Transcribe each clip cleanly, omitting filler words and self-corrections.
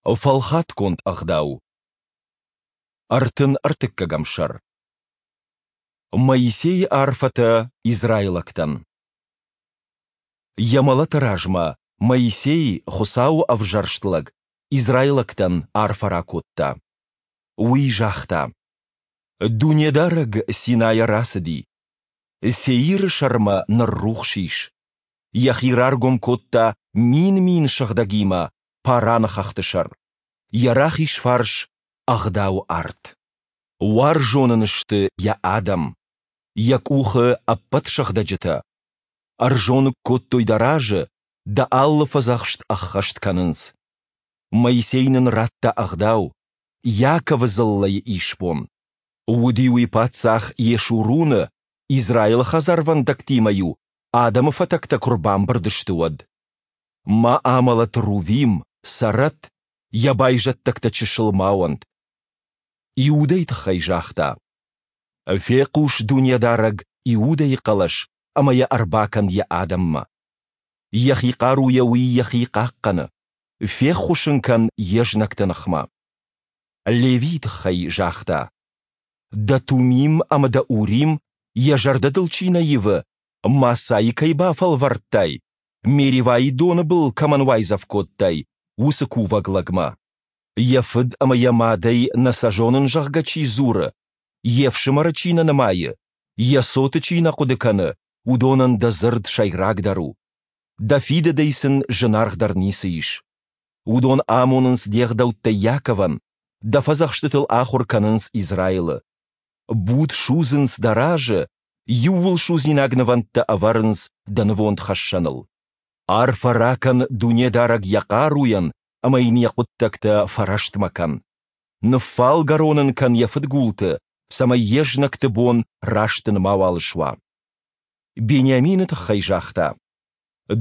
Фӕлхатгонд ӕгъдау. 33-ӕм сӕр. Моисейы арфӕтӕ израилӕгтӕн. Йӕ мӕлӕты размӕ Моисей, Хуыцауы ӕвзӕрст лӕг, израилӕгтӕн арфӕ ракодта. Уый загъта: Дунедарӕг Синайӕ рацыди. Сеиры сӕрмӕ ныррухс ис. Йӕхи раргом кодта мин-мин сыгъдӕгимӕ Параны хӕхты сӕр. Йӕ рахиз фарс ӕгъдауы арт. Уарзон ын сты йӕ адӕм, йӕ къухы ӕппӕт сыгъдӕджытӕ. Ӕрзоныг кодтой дӕ разы, дӕ алы фӕдзӕхст ӕххӕст кӕнынц. Моисей нын радта ӕгъдау, Иаковы дзыллӕйы исбон. Уыди уый паддзах Йешуруны, Израилы хӕдзарвӕндӕгтимӕ-иу адӕмы фӕтӕгтӕ куы рбамбырд сты, уӕд. Ма амӕлӕт Рувим, цӕрӕт, йӕ байзӕддӕгтӕ чысыл ма уӕнт. Иудӕйы тыххӕй загъта: Фехъус, Дунедарӕг, Иудӕйы хъӕлӕс ӕмӕ йӕ ӕрбакӕн йӕ адӕммӕ. Йӕхи хъаруйӕ уый йӕхи хъахъхъӕны. Феххуыс ын кӕн йе знӕгты ныхмӕ. Левийы тыххӕй загъта: Дӕ Тумим ӕмӕ дӕ Урим, йӕ зӕрдӕ дыл чи нӕ ивы, Массӕйы кӕй бафӕлвӕрдтай, Меривайы доны был кӕмӕн уайдзӕф кодтай, уыцы кувӕг лӕгмӕ. Йӕ фыд ӕмӕ йӕ мадӕй нӕ сӕ зонын, зӕгъгӕ, чи дзуры, йе фсымӕры чи нӕ нымайы, йӕ цоты чи нӕ хъуыды кӕны, уыдонӕн дӕ дзырд сӕйрагдӕр у. Дӕ фидыдӕй сын зынаргъдӕр ницы ис. Уыдон амонынц де гъдӕуттӕ Иаковӕн, дӕ фӕдзӕхстытыл ахуыр кӕнынц Израилы. Буд судзынц дӕ разы, иууылсудзинаг нывӕндтӕ ӕвӕрынц дӕ нывондхӕссӕныл. Арфӕ ракӕн Дунедарӕг йӕ хъаруйӕн ӕмӕ йын йӕ хъуыддӕгтӕ фӕрӕстмӕ кӕн. Ныффалгӕрон ын кӕн йӕ фыдгулты, цӕмӕй йе знӕгты бон растын мауал суа. Бениамины тыххӕй загъта: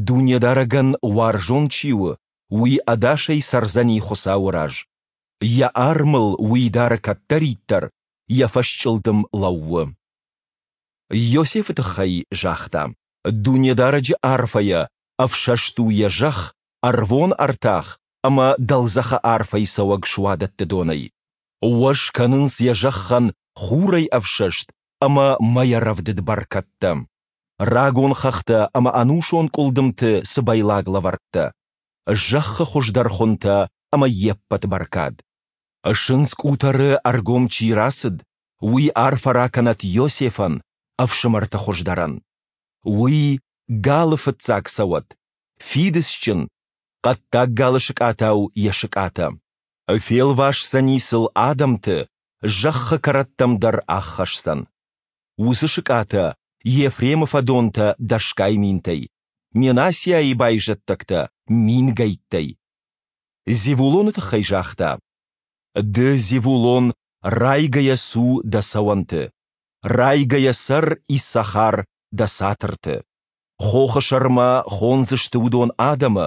Дунедарӕгӕн уарзон чи у, уый ӕдасӕй цӕрдзӕни Хуыцауы раз. Йӕ арм ыл уый дары кӕддӕриддӕр, йӕ фӕсчъылдым лӕууы. Иосифы тыххӕй загъта: Дунедарӕджы арфӕйӕ ӕфсӕст у йӕ зӕхх, ӕрвон ӕртах ӕмӕ дӕлдзӕхы арфӕй цӕуӕг суадӕтты донӕй. Уӕз кӕнынц йӕ зӕххӕн хурӕй ӕфсӕст ӕмӕ мӕйӕ рӕвдыд бӕркӕдтӕ. Рагон хӕхтӕ ӕмӕ ӕнусон къуылдымты цыбӕйлаг лӕвӕрттӕ. Зӕххы хуыздӕр хуынтӕ ӕмӕ йе ппӕт бӕркад. Сындз къутӕры ӕргом чи рацыд, уый арфӕ ракӕнӕт Иосифӕн, ӕфсымӕрты хуыздӕрӕн. Уый галы фыццаг цӕуӕт, фидыцджын, хъӕддаг галы сыкъатау йӕ сыкъатӕ. Фелвасдзӕни сыл адӕмты, зӕххы кӕрӕттӕм дӕр аххӕсдзӕн. Уыцы сыкъатӕ Ефремы фӕдонтӕ дӕсгай минтӕй, Менассиайы байзӕддӕгтӕ мингӕйттӕй. Зевулоны тыххӕй загъта: Ды, Зевулон, райгӕйӕ цу дӕ цӕуӕнты, райгӕйӕ цӕр Иссахар дӕ цатырты. Хохы сӕрмӕ хондзысты уыдон адӕмы,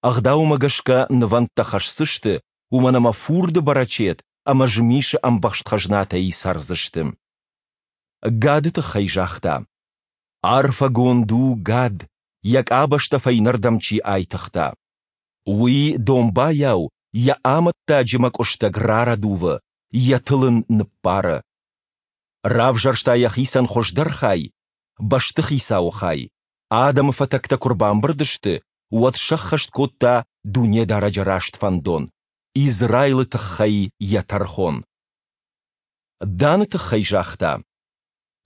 ӕгъдаумӕ гӕсгӕ нывӕндтӕ хӕсдзысты, уымӕн ӕмӕ фурды бӕрӕчет ӕмӕ змисы ӕмбӕхст хӕзнатӕй цӕрдзысты. Гады тыххӕй загъта: Арфӕгонд у Гад, йӕ къабӕзтӕ фӕйнӕрдӕм чи айтыгъта. Уый домбайау йӕ амӕттаджы мӕкъуыстӕг рарӕдувы, йӕ тыл ын ныппары. Равзӕрста йӕхицӕн хуыздӕр хай, бӕстыхицауы хай. Адӕмы фӕтӕгтӕ куы рбамбырд сты, уӕд сӕххӕст кодта Дунедарӕджы раст фӕндон, Израилы тыххӕй йӕ тӕрхон. Даны тыххӕй загъта: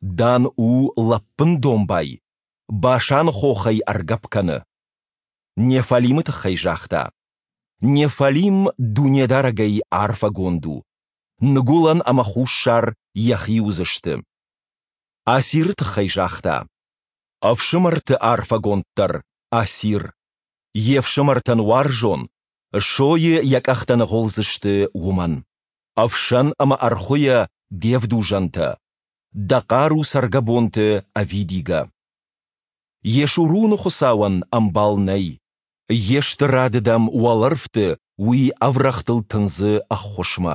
Дан у лӕппын домбай, Башаны хохӕй ӕргӕпп кӕны. Неффалимы тыххӕй загъта: Неффалим Дунедарӕгӕй арфӕгонд у, ныгуылӕн ӕмӕ хуссар йӕхи уыдзысты. Асиры тыххӕй загъта: Ӕфсымӕрты арфӕгонддӕр Асир. Йе фсымӕртӕн уарзон, сойы йӕ къӕхтӕ ныгъуылдзысты уымӕн. Ӕфсӕн ӕмӕ ӕрхуыйӕ де вдузӕнтӕ, дӕ хъару цӕргӕбонты ӕвидигӕ. Йешуруны Хуыцауӕн ӕмбал нӕй. Йе стырады дӕм уӕлӕрвты уый ӕврӕгътыл тындзы ӕххуысмӕ.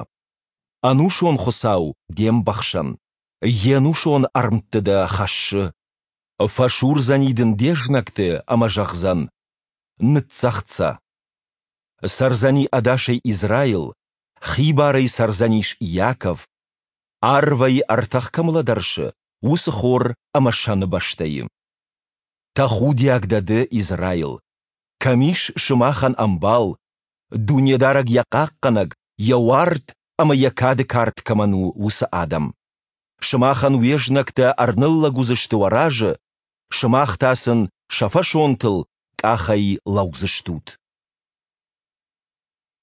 Ӕнусон Хуыцау де мбӕхсӕн, йе нусон ӕрмтты дӕ хӕссы. Фӕсурдзӕни дын де знӕгты ӕмӕ зӕгъдзӕн: Ныццӕгъд сӕ. Цӕрдзӕни ӕдасӕй Израил, хибарӕй цӕрдзӕнис Иаков, арвӕй ӕртӕх кӕм лӕдӕрсы, уыцы хор ӕмӕ сӕны бӕстӕйы. Тӕхудиаг дӕ ды, Израил! Кӕм ис сымахӕн ӕмбал, Дунедарӕг йӕ хъахъхъӕнӕг, йӕ уарт ӕмӕ йӕ кады кард кӕмӕн у, уыцы адӕм? Сымахӕн уе знӕгтӕ ӕрныллӕг уыдзысты уӕ разы, сымах та сын сӕ фӕсонтыл къахӕй лӕудзыстут.